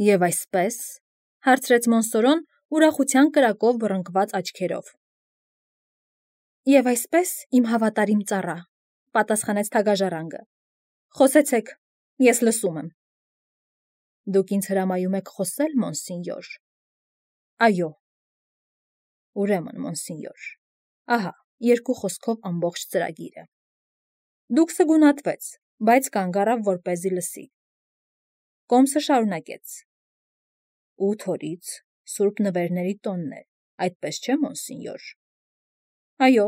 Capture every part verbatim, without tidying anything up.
Եվ այսպես, հարցրեց Մոնսորոն ուրախության կրակով բռնկված աչքերով։ Եվ այսպես, իմ հավատարիմ ծառա, պատասխանեց թագաժառանգը, խոսեցեք, ես լսում եմ։ Դուք ինձ հրամայում եք խոսել, մոնսինյոր։ Այո։ Ուրեմն, մոնսինյոր, ահա, երկու խոսքով ամբողջ ծրագիրը։ Դուքսը գունատվեց, բայց կանգ առավ, որպեսզի լսի։ Կոմսը շարունակեց. Ութ օրից Սուրբ Նվերների տոնն է, այդպես չէ, մոնսինյոր։ Այո։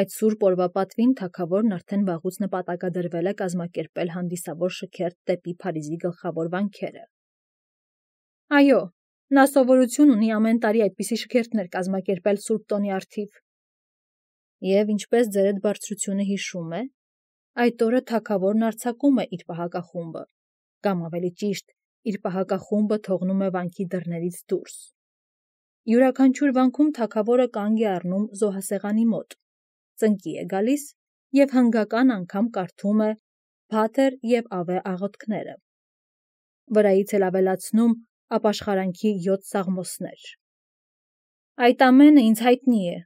Այդ սուրբ օրվա պատվին թագավորն արդեն վաղուց նպատակադրվել է կազմակերպել հանդիսավոր շքերթ դեպի Փարիզի գլխավոր վանքերը։ Այո, նա սովորություն ունի ամեն տարի այդպիսի շքերթներ կազմակերպել սուրբ տոնի առթիվ։ Եվ ինչպես ձերդ բարձրությունը հիշում է, այդ օրը թագավորն արձակում է իր պահակախումբը, կամ ավելի ճիշտ, իր պահակախումբը թողնում է վանքի դռներից դուրս։ Յուրաքանչյուր վանքում թագավորը կանգ է առնում զոհասեղանի մոտ, ծնկի է գալիս և հնգական անգամ կարդում է Փաթեր և Ավե աղոթքները, վրայից էլ ավելացնում ապաշխարանքի յոթ սաղմոսներ։ Այդ ամենը ինձ հայտնի է։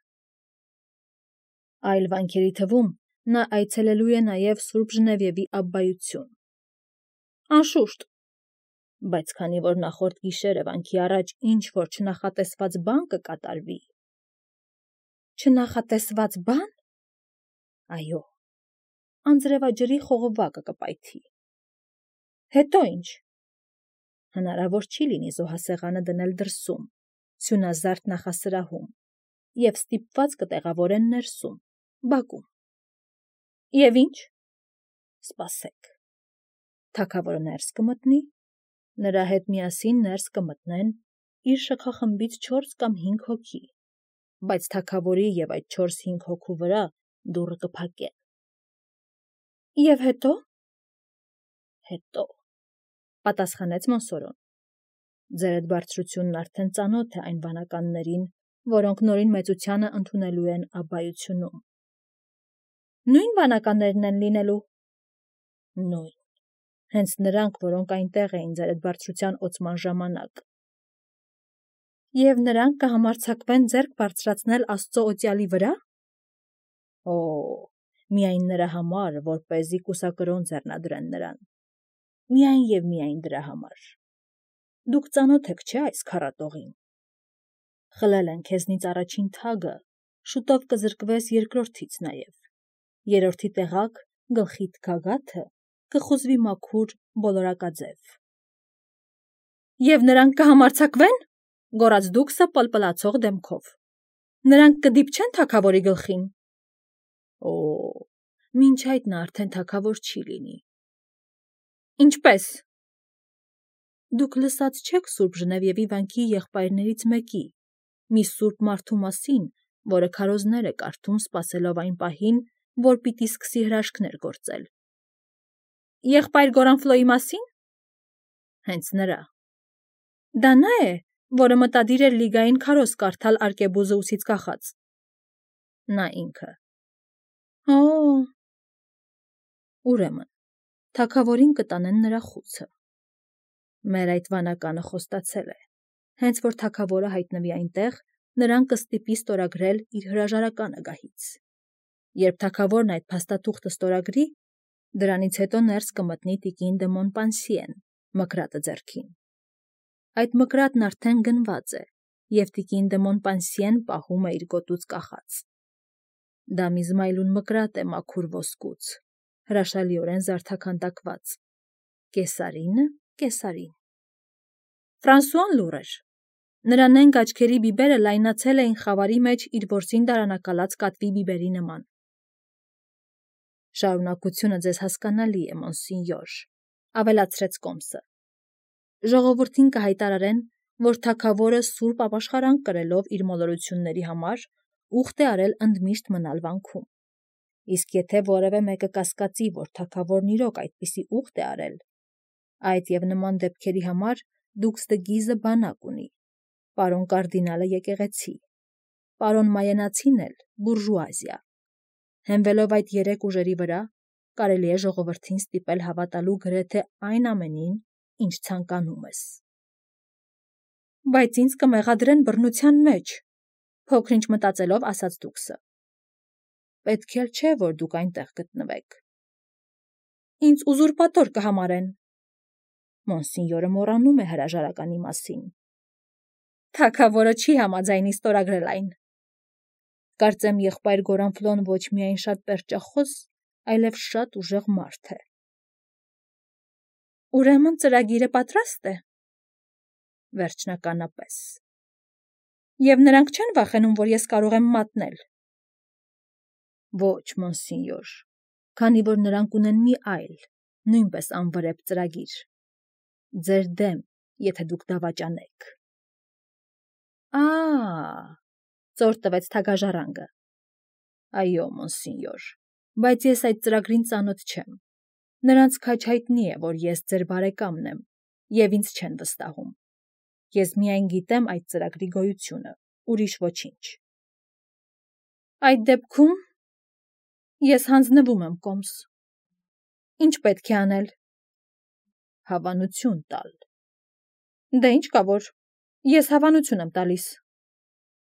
Այլ վանքերի թվում նա այցելելու է նաև Սուրբ Ժնևիևի Աբբայություն։ Անշուշտ, բայց քանի որ նախորդ գիշերը վանքի առաջ ինչ-որ չնախատեսված բան կկատարվի։ Չնախատեսված բան։ Այո, անձրևաջրի խողովակը կպայթի։ Հետո ինչ։ Հնարավոր չի լինի զոհասեղանը դնել դրսում, սյունազարդ նախասրահում, և ստիպված կտեղավորեն ներսում, բակում։ Եվ ինչ։ Սպասեք։ Թագավորը ներս կմտնի, նրա հետ միասին ներս կմտնեն իր շքախմբից չորս կամ հինգ հոգի, բայց թագավորի և այդ չորս-հինգ հոգու վրա դուռը կփակեն։ Եվ հետո։ Հետո, պատասխանեց Մոնսորոն, ձերդ բարձրությունն արդեն ծանոթ է այն վանականներին, որոնք նորին մեծությանը ընդունելու են Աբբայությունում։ Նույն վանականներն են լինելու։ Նույն, հենց նրանք, որոնք այնտեղ էին ձերդ բարձրության օծման ժամանակ։ Եվ նրանք կհամարձակվեն ձեռք բարձրացնել Աստծո օծյալի վրա։ Օ, միայն նրա համար, որպեսզի կուսակրոն ձեռնադրեն նրան։ Միայն և միայն դրա համար։ Դուք ծանոթ եք, չէ՞, այս քառատողին։ Խլել են քեզնից առաջին թագը, շուտով կզրկվես երկրորդից նաև։ Երրորդի տեղակ գլխիդ գագաթը կխուզվի մաքուր բոլորակաձև։ Եվ նրանք կհամարձակվեն, գոռաց դուքսը պլպլացող դեմքով։ Նրանք կդիպչեն թագավորի գլխին։ Օ, մինչ այդ նա արդեն թագավոր չի լինի։ Ինչպե՞ս։ Դուք լսած չեք Սուրբ Ժնևիևի վանքի եղբայրներից մեկի, մի սուրբ մարդու մասին, որը քարոզներ է կարդում սպասելով այն պահին, որ պիտի սկսի հրաշքներ գործել։ Եղբայր Գորանֆլոյի մասին։ Հենց նրա։ Դա նա է, որը մտադիր էր լիգային քարոզ կարդալ Արկեբուզը ուսից կախած։ Նա ինքը։ Օ։ Ուրեմն, թագավորին կտանեն նրա խուցը։ Մեր այդ վանականը խոստացել է, հենց որ թագավորը հայտնվի այնտեղ, նրան կստիպի ստորագրել իր հրաժարականը գահից։ Երբ թագավորն այդ փաստաթուղթը ստորագրի, դրանից հետո ներս կմտնի տիկին դե Մոնպանսիեն, մկրատը ձեռքին։ Այդ մկրատն արդեն գնված է, և տիկին դե Մոնպանսիեն պահում է իր գոտուց կախած։ Դա մի զմայլուն մկրատ է մաքուր ոսկուց, հրաշալիորեն զարդաքանդակված։ Կեսարինը կեսարին։ Ֆրանսուան լուռ էր։ Նրա նենգ աչքերի բիբերը լայնացել էին խավարի մեջ իր որսին դարանակալած կատվի բիբերի նման։ Շարունակությունը ձեզ հասկանալի է, մոնսինյոր, ավելացրեց Կոմսը։ Ժողովրդին կհայտարարեն, որ թագավորը սուրբ ապաշխարանք կրելով իր մոլորությունների համար ուխտ է արել ընդմիշտ մնալ վանքում։ Իսկ եթե որևէ մեկը կասկածի, որ թագավորն իրոք այդպիսի ուխտ է արել, այդ և նման դեպքերի համար դուքսը գիզը բանակ ունի, պարոն կարդինալը եկեղեցի, պարոն Մայենացին էլ բուրժուազիա։ Հենվելով այդ երեք ուժերի վրա, կարելի է ժողովրդին ստիպել հավատալու գրեթե այն ամենին, ինչ ցանկանում ես։ Բայց ինձ կմեղադրեն բռնության մեջ, փոքր-ինչ մտածելով ասաց դուքսը։ Պետք էլ չէ, որ դուք այնտեղ գտնվեք։ Ինձ ուզուրպատոր կհամարեն։ Մոնսինյորը մոռանում է հրաժարականի մասին։ Թագավորը չի համաձայնի ստորագրել այն։ Կարծեմ եղբայր Գորանֆլոն ոչ միայն շատ պերճախոս, այլև շատ ուժեղ մարդ է։ Ուրեմն ծրագիրը պատրաստ է։ Վերջնականապես։ Եվ նրանք չեն վախենում, որ ես կարող եմ մատնել։ Ոչ, մոնսինյոր, քանի որ նրանք ունեն մի այլ, նույնպես անվրեպ ծրագիր։ Ձեր դեմ, եթե դուք դավաճանեք։ Ա՜, ծոր տվեց թագաժառանգը։ Այո, մոնսինյոր, բայց ես այդ ծրագրին ծանոթ չեմ։ Նրանց քաջ հայտնի է, որ ես ձեր բարեկամն եմ, և ինձ չեն վստահում։ Ես միայն գիտեմ այդ ծրագրի գոյությունը, ուրիշ ոչինչ։ Այդ դեպքում ես հանձնվում եմ կոմս։ Ինչ պետք է անել։ Հավանություն տալ։ Դե ինչ կա որ, ես հավանություն եմ տալիս։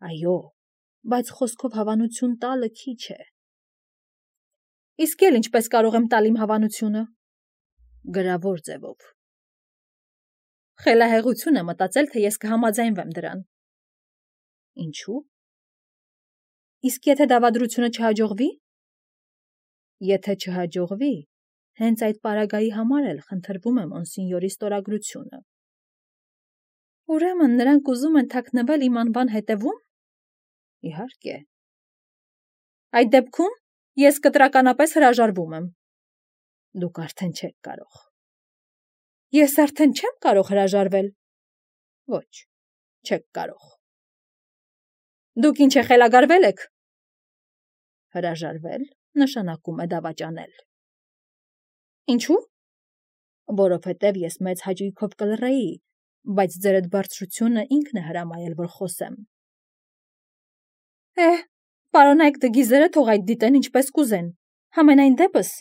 Այո, բայց խոսքով հավանություն տալը քիչ է։ Իսկ էլ ինչպես կարող եմ տալ իմ հավանությունը։ Գրավոր ձևով։ Խելահեղություն է մտածել, թե ես կհամաձայնվեմ դրան։ Ինչու՞։ Իսկ եթե դավադրությունը չհաջողվի։ Եթե չհաջողվի, հենց այդ պարագայի համար էլ խնդրվում է մոնսինյորի ստորագրությունը։ Ուրեմն նրանք ուզում են թաքնվել իմ անվան հետևում։ Իհարկե։ Այդ դեպքում ես կտրականապես հրաժարվում եմ։ Դուք արդեն չեք կարող։ Ես արդեն չեմ կարող հրաժարվել։ Ոչ, չեք կարող։ Դուք ինչ է խելագարվել եք։ Հրաժարվել նշանակում է դավաճանել։ Ինչու՞։ Որովհետև ես մեծ հաճույքով կլռեի, բայց ձեր այդ բարձրությունը ինքն է հրամայել, որ խոսեմ։ Է, պարոնայք դգիզերը թող այդ դիտեն ինչպես կուզեն։ Համենայն դեպս,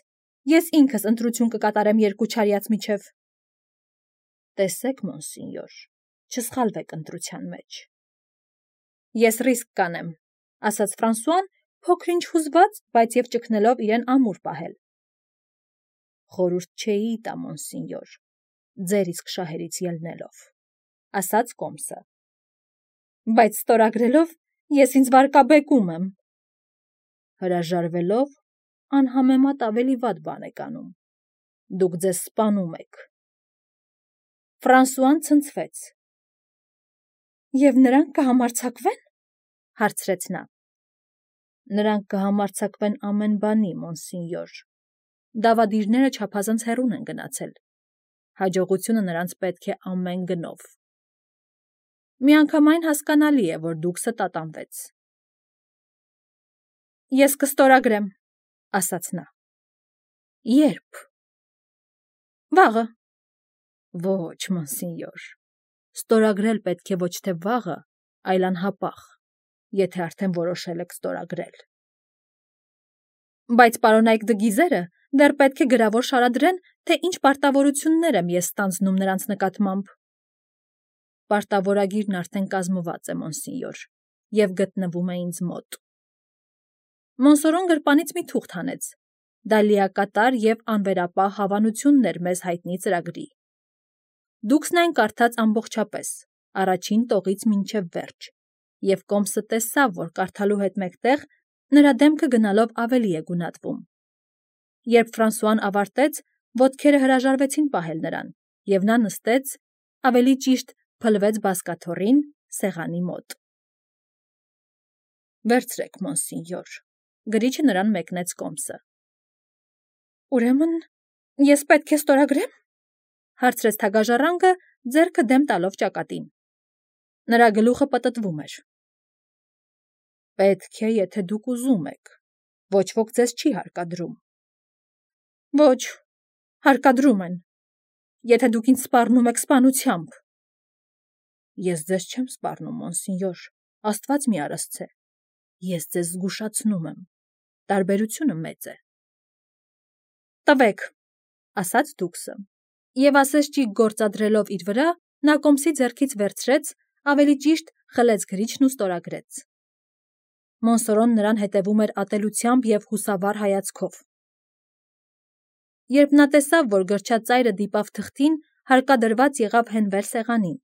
ես ինքս ընտրություն կկատարեմ երկու չարյաց միջև։ Տեսեք, մոնսինյոր, չսխալվեք ընտրության մեջ։ Ես ռիսկ կանեմ, ասաց Ֆրանսուան, փոքր-ինչ հուզված, բայց և ճգնելով իրեն ամուր պահել։ Խորհուրդ չէի տա, մոնսինյոր, ձեր իսկ շահերից ելնելով, ասաց կոմսը։ Բայց ստորագրելով ես ինձ վարկաբեկում եմ։ Հրաժարվելով անհամեմատ ավելի վատ բան եք անում։ Դուք ձեզ սպանում եք։ Ֆրանսուան ցնցվեց։ Եվ նրանք կհամարձակվեն, հարցրեց նա։ Նրանք կհամարձակվեն ամեն բանի, մոնսինյոր։ Դավադիրները չափազանց հեռուն են գնացել։ Հաջողությունը նրանց պետք է ամեն գնով։ Միանգամայն հասկանալի է, որ դուքսը տատանվեց։ Ես կստորագրեմ, ասաց նա։ Երբ։ Վաղը։ Ոչ, մոնսինյոր։ Ստորագրել պետք է ոչ թե վաղը, այլ անհապաղ, եթե արդեն որոշել եք ստորագրել։ Բայց պարոնայք դգիզերը դեռ պետք է գրավոր շարադրեն, թե ինչ պարտավորություններ եմ ես ստանձնում նրանց նկատմամբ։ Պարտավորագիրն արդեն կազմված է, մոնսինյոր, և գտնվում է ինձ մոտ։ Մոնսորոն գրպանից մի թուղթ հանեց։ Դա լիակատար և անվերապահ հավանությունն էր մեզ հայտնի ծրագրի։ Դուքսն այն կարդաց ամբողջապես, առաջին տողից մինչև վերջ, և կոմսը տեսավ, որ կարդալու հետ մեկտեղ նրա դեմքը գնալով ավելի է գունատվում։ Երբ Ֆրանսուան ավարտեց, ոտքերը հրաժարվեցին պահել նրան, և նա նստեց, ավելի ճիշտ փլվեց բազկաթոռին սեղանի մոտ։ Վերցրեք, մոնսինյոր, գրիչը նրան մեկնեց կոմսը։ Ուրեմն ես պետք է ստորագրեմ, հարցրեց թագաժառանգը, ձեռքը դեմ տալով ճակատին։ Նրա գլուխը պտտվում էր։ Պետք է, եթե դուք ուզում եք, ոչ ոք ձեզ չի հարկադրում։ Ոչ, հարկադրում են, եթե դուք ինձ սպառնում եք սպանությամբ։ Ես ձեզ չեմ սպառնում, մոնսինյոր, Աստված մի արասցե։ Ես ձեզ զգուշացնում եմ, տարբերությունը մեծ է։ Տվեք, ասաց դուքսը։ Եվ ասես ճիգ գործադրելով իր վրա, նա կոմսի ձեռքից վերցրեց, ավելի ճիշտ խլեց գրիչն ու ստորագրեց։ Մոնսորոն նրան հետևում էր ատելությամբ և հուսավառ հայացքով։ Երբ նա տեսավ, որ գրչածայրը դիպավ թղթին, հարկադրված եղավ հենվել սեղանին։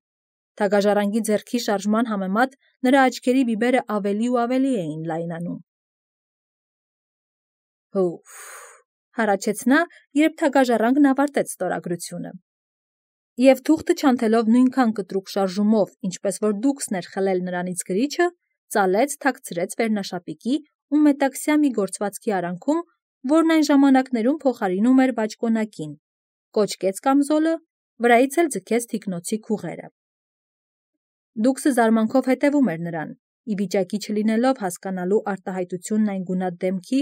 Թագաժարանգի ձեռքի շարժման համեմատ նրա աչքերի բիբերը ավելի ու ավելի էին լայնանում։ Հուֆ, հառաչեց նա, երբ թագաժառանգն ավարտեց ստորագրությունը։ Եվ թուղթը չանթելով նույնքան կտրուկ շարժումով, ինչպես որ դուքսն էր խլել նրանից գրիչը, ծալեց, թաքցրեց վերնաշապիկի ու մետաքսյա մի գործվածքի արանքում, որն այն ժամանակներում փոխարինում էր բաճկոնակին, կոճկեց կամզոլը, վրայից էլ ձգեց թիկնոցի քուղերը։ Դուքսը զարմանքով հետևում էր նրան, ի վիճակի չլինելով հասկանալու արտահայտությունն այն գունատ դեմքի,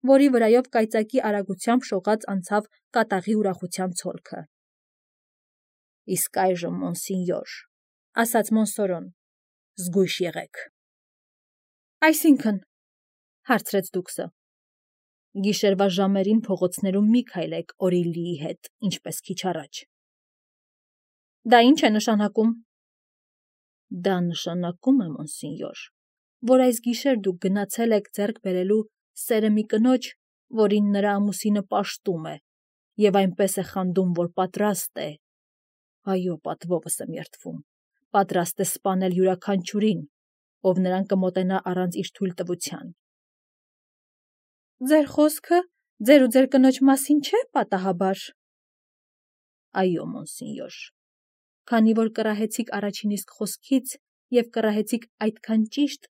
որի վրայով կայծակի արագությամբ շողաց անցավ կատաղի ուրախության ցոլքը։ Իսկ այժմ, մոնսինյոր, ասաց Մոնսորոն, զգույշ եղեք։ Այսինքն, հարցրեց դուքսը։ Գիշերվա ժամերին փողոցներում մի քայլեք Օրիլիի հետ, ինչպես քիչ առաջ։ Դա ինչ է նշանակում։ Դա նշանակում է, մոնսինյոր, որ այս գիշեր դուք գնացել եք ձեռք բերելու սերը մի կնոջ, որին նրա ամուսինը պաշտում է, և այնպես է խանդում, որ պատրաստ է, այո, պատվովս եմ երդվում, պատրաստ է սպանել յուրաքանչյուրին, ով նրան կմոտենա առանց իր թույլտվության։ Ձեր խոսքը ձեր ու ձեր կնոջ մասին չէ, պատահաբար։ Այո, մոնսինյոր, քանի որ կռահեցիք առաջին իսկ խոսքից և կռահեցիք այդքան ճիշտ,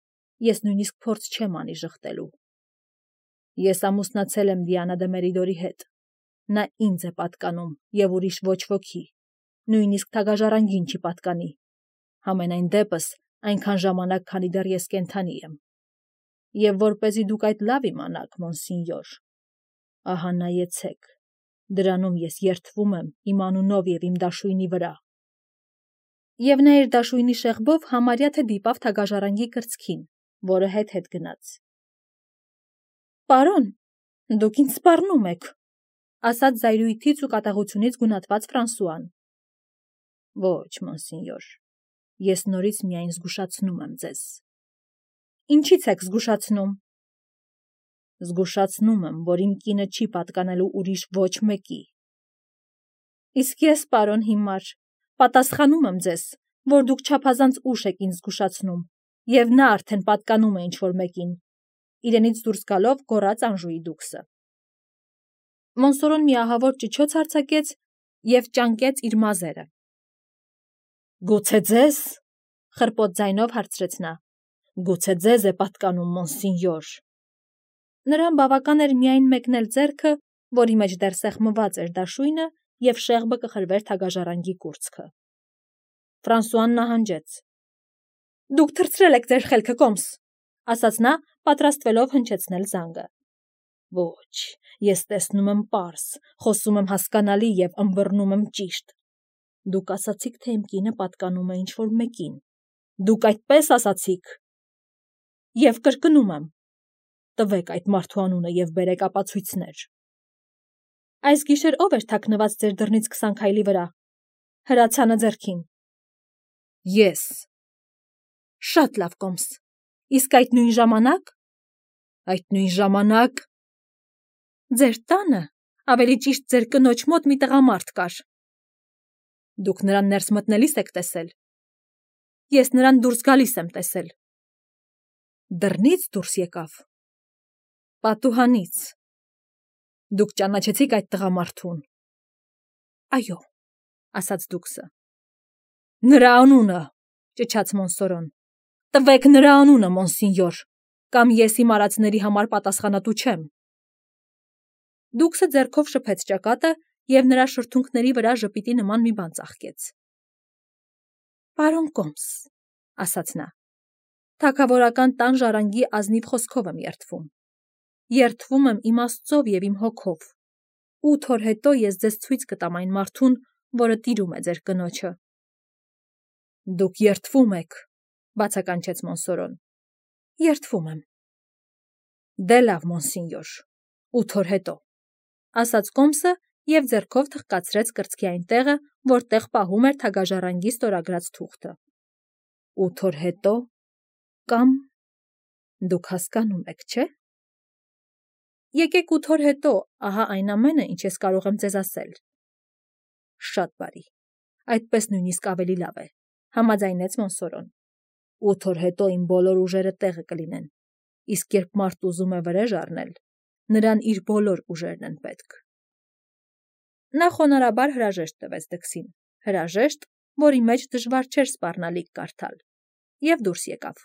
ես նույնիսկ փորձ չեմ անի ժխտելու։ Ես ամուսնացել եմ Դիանա դե Մերիդորի հետ, նա ինձ է պատկանում և ուրիշ ոչ ոքի, նույնիսկ թագաժառանգին չի պատկանի, համենայն դեպս այնքան ժամանակ, քանի դեռ ես կենդանի եմ։ Եվ որպեսզի դուք այդ լավ իմանաք, մոնսինյոր, ահա նայեցեք, դրանում ես երդվում եմ իմ անունով և իմ դաշույնի վրա։ Եվ նա իր դաշույնի շեղբով համարյա թե դիպավ թագաժառանգի կրծքին, որը հետ-հետ գնաց։ Պարոն, դուք ինձ սպառնում եք, ասաց զայրույթից ու կատաղությունից գունատված Ֆրանսուան։ Ոչ, մոնսինյոր, ես նորից միայն զգուշացնում եմ ձեզ։ Ինչի՞ց եք զգուշացնում։ Զգուշացնում եմ, որ իմ կինը չի պատկանելու ուրիշ ոչ մեկի։ Իսկ ես, պարոն հիմար, պատասխանում եմ ձեզ, որ դուք չափազանց ուշ եք ինձ զգուշացնում, և նա արդեն պատկանում է ինչ-որ մեկին, իրենից դուրս գալով գոռաց Անժուի դուքսը։ Մոնսորոն մի ահավոր ճչոց արձակեց և ճանկեց իր մազերը։ Գուցե ձեզ, խռպոտ ձայնով հարցրեց նա, գուցե ձեզ է պատկանում, մոնսինյոր։ Նրան բավական էր միայն մեկնել ձեռքը, որի մեջ դեռ սեղմված էր դաշույնը, և շեղբը կխրվեր թագաժառանգի կուրծքը։ Ֆրանսուան նահանջեց։ Դուք թռցրել եք ձեր խելքը, կոմս, ասաց նա, պատրաստվելով հնչեցնել զանգը։ Ոչ, ես տեսնում եմ պարզ, խոսում եմ հասկանալի և ըմբռնում եմ ճիշտ։ Դուք ասացիք, թե իմ կինը պատկանում է ինչ-որ մեկին։ Դուք այդպես ասացիք։ Եվ կրկնում եմ, տվեք այդ մարդու անունը և բերեք ապացույցներ։ Այս գիշեր ով էր թաքնված ձեր դռնից քսան քայլի վրա, հրացանը ձեռքին։ Ես։ Շատ լավ, կոմս, իսկ այդ նույն ժամանակ։ Այդ նույն ժամանակ։ Ձեր տանը, ավելի ճիշտ ձեր կնոջ մոտ մի տղամարդ կար։ Դուք նրան ներս մտնելիս եք տեսել։ Ես նրան դուրս գալիս եմ տեսել։ Դռնից դուրս եկավ։ Պատուհանից։ Դուք ճանաչեցիք այդ տղամարդուն։ Այո, ասաց դուքսը։ Նրա անունը, ճչաց Մոնսորոն։ Տվեք նրա անունը, մոնսինյոր, կամ ես իմ արածների համար պատասխանատու չեմ։ Դուքսը ձեռքով շփեց ճակատը և նրա շրթունքների վրա ժպիտի նման մի բան ծաղկեց։ Պարոն կոմս, ասաց նա, թագավորական տան ժառանգի ազնիվ խոսքով եմ երդվում։ Երդվում եմ իմ Աստծով և իմ հոգով։ Ութ օր հետո ես ձեզ ցույց կտամ այն մարդուն, որը տիրում է ձեր կնոջը։ Դուք երդվում եք, բացականչեց Մոնսորոն։ Երդվում եմ։ Դե լավ, մոնսինյոր, ութ օր հետո, ասաց կոմսը և ձեռքով թխկացրեց կրծքի այն տեղը, որտեղ պահում էր թագաժառանգի ստորագրած թուղթը։ Ութ օր հետո կամ դուք հասկանում եք, չէ՞։ Եկեք ութ օր հետո, ահա այն ամենը, ինչ ես կարող եմ ձեզ ասել։ Շատ բարի, այդպես նույնիսկ ավելի լավ է, համաձայնեց Մոնսորոն։ Ութ օր հետո իմ բոլոր ուժերը տեղը կլինեն, իսկ երբ մարդ ուզում է վրեժ առնել, նրան իր բոլոր ուժերն են պետք։ Նա խոնարհաբար հրաժեշտ տվեց Դքսին, հրաժեշտ, որի մեջ դժվար չէր սպառնալիք կարդալ, և դուրս եկավ։